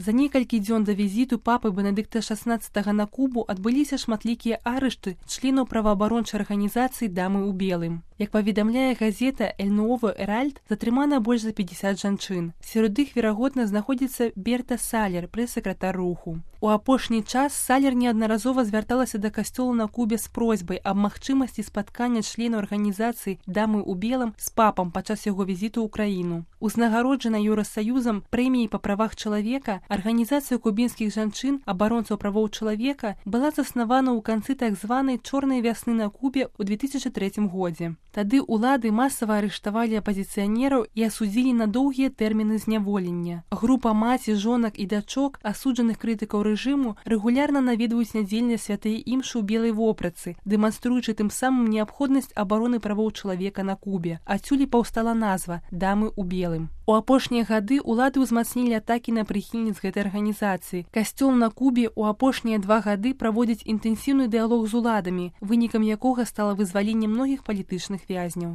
За некалькі дзён да візіту папы Бенедыкта XVI на Кубу адбыліся шматлікія арышты членаў праваабарончай арганізацыі «Дамы ў белым». Як паведамляе газета «Эль Нуово Эральд», затрымана больш за 50 жанчын. Сярод іх, верагодна, знаходзіцца Берта Салер, прэс-сакратар руху. У апошні час Салер неаднаразова звярталася да касцёла на Кубе з просьбай аб магчымасці спаткання членаў арганізацыі «Дамы ў белым» з папам падчас яго візіту ў краіну. Узнагароджана Еўрасаюзам прэміяй па правах чалавека, арганізацыя кубінскіх жанчын, абаронцаў правоў чалавека была заснавана ў канцы так званай «Чорнай вясны» на Кубе ў 2003 годзе. Тады ўлады масава арыштавалі апазіцыянераў і асудзілі на доўгія тэрміны зняволення. Група маці, жонак і дачок, асуджаных крытыкаў рэжыму, рэгулярна наведваюць нядзельныя святыя імшы ў белай вопратцы, дэманструючы тым самым неабходнасць абароны правоў чалавека на Кубе. Адсюль паўстала назва «Дамы ў белым». У апошнія гады ўлады ўзмацнілі атакі на прыхільніц гэтай арганізацыі. Касцёл на Кубе ў апошнія 2 гады праводзіць інтэнсіўны дыялог з уладамі, вынікам якога стала вызваленне многіх палітычных вязняў.